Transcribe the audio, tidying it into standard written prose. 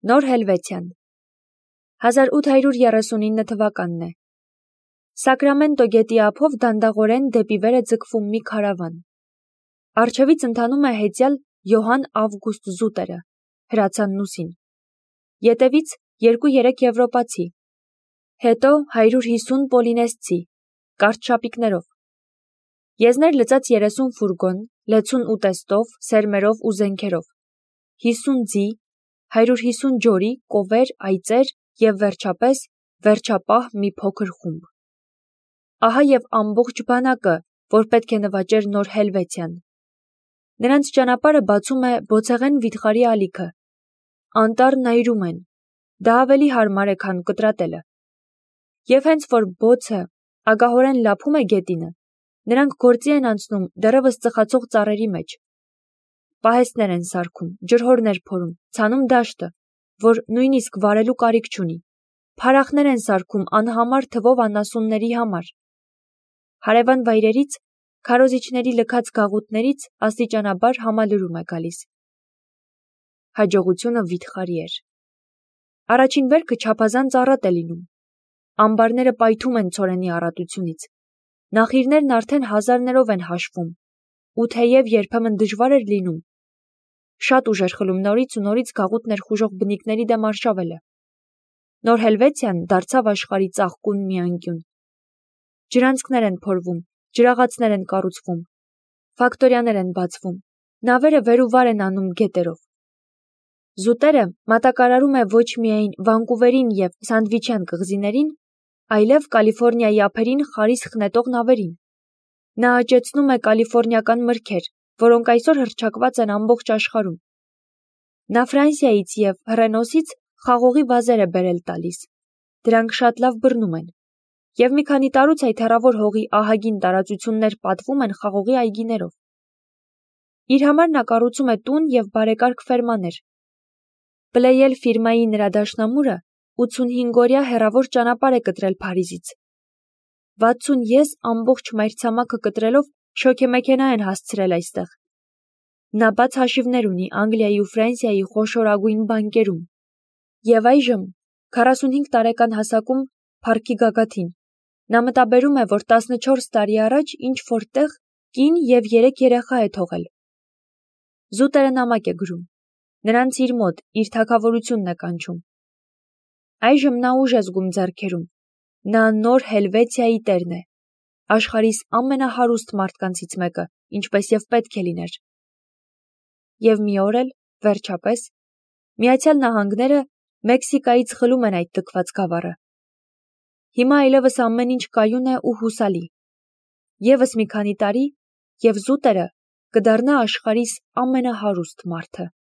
Նոր Հելվեթիան 1839 թվականն է։ Սակրամենտո գետի ափով դանդաղորեն դեպի վեր է ձգվում մի քարավան։ Առջևից ընթանում է հեծյալ Յոհան Ավգուստ Զուտերը, հրացանն ուսին։ Ետևից 2-3 եվրոպացի, հետո 150 պոլինեսցի, կարճ շապիկներով։ Եզներ լծած 30 ֆուրգոն, լեցուն ուտեստով, սերմերով ու զենքերով, 50 ձի, 150 ջորի, կովեր, այծեր և վերջապես վերջապահ մի փոքր խումբ։ Ահա և ամբողջ բանակը, որ պետք է նվաճեր Նոր Հելվեթիան։ Նրանց ճանապարհը բացում է բոցեղեն վիթխարի ալիքը։ Անտառն այրում են, դա ավելի հարմար է, քան կտրատելը։ Եվ հենց որ բոցը ագահորեն լափում է գետինը, նրանք գործի են անցնում դեռևս ծխացող ծառերի մեջ։ Պահեստներ են սարքում, ջրհորներ փորում, ցանում դաշտը, որ նույնիսկ վարելու կարիք չունի, փարախներ են սարքում անհամար թվով անասունների համար։ Հարևան վայրերից, քարոզիչների լքած գաղութներից աստիճանաբար համալրում է գալիս։ Հաջողությունը վիթխարի էր։ Առաջին վերքը չափազանց առատ է լինում։ Ամբարները պայթում են ցորենի առատությունից։ Նախիրներն արդեն հազարներով են հաշվում, ու թեև երբեմն դժվար էր լինում, շատ ուժ էր խլում նորից ու նորից գաղութ ներխուժող բնիկների դեմ արշավելը։ Նոր Հելվեթիան դարձավ աշխարհի ծաղկուն մի անկյուն։ Ջրանցքներ են փորվում, ջրաղացներ են կառուցվում, ֆակտորիաներ են բացվում, նավերը վեր ու վար են անում գետերով։ Զուտերը մատակարարում է ոչ միայն Վանկուվերին և Սանդվիչյան կղզիներին, այլև Կալիֆոռնիայի ափերին խարիս խնետող նավերին։ Նա աճեցնում է կալիֆոռնիական մրգեր, որոնք այսօր հռչակված են ամբողջ աշխարհում։ Նա Ֆրանսիայից և Հռենոսից խաղողի վազեր է բերել տալիս։ Դրանք շատ լավ բռնում են։ Եվ մի քանի տարուց այդ հեռավոր հողի ահագին տարածություններ պատվում են խաղողի այգիներով։ Իր համար նա կառուցում է տուն և բարեկարգ ֆերմաներ։ Պլեյել ֆիրմայի նրա դաշնամուրը 85-օրյա հեռավոր ճանապարհ է կտրել Փարիզից։ 60 ես ամբողջ մայրցամաքը կտրելով շոգեմեքենա են հասցրել այստեղ։ Նա բաց հաշիվներ ունի Անգլիայի ու Ֆրանսիայի խոշորագույն բանկերում։ Եվ այժմ, 45 տարեկան հասակում, փառքի գագաթին, նա մտաբերում է, որ 14 տարի առաջ ինչ-որ տեղ կին և 3 երեխա է թողել։ Զուտերը նամակ է գրում։ Նրանց իր մոտ, իր թագավորությունն է կանչում։ Այժմ նա ուժ է զգում ձեռքերում։ Նա Նոր Հելվեթիայի տերն է, աշխարհիս ամենահարուստ մարդկանցից մեկը, ինչպես և պետք է լիներ։ Եվ մի օր էլ, վերջապես, Միացյալ Նահանգները Մեքսիկայից խլում են այդ լքված գավառը։ Հիմա այլևս ամեն ինչ կայուն է ու հուսալի։ Եվս մի քանի տարի, և Զուտերը կդառնա աշխարհիս ամենահարուստ մարդը։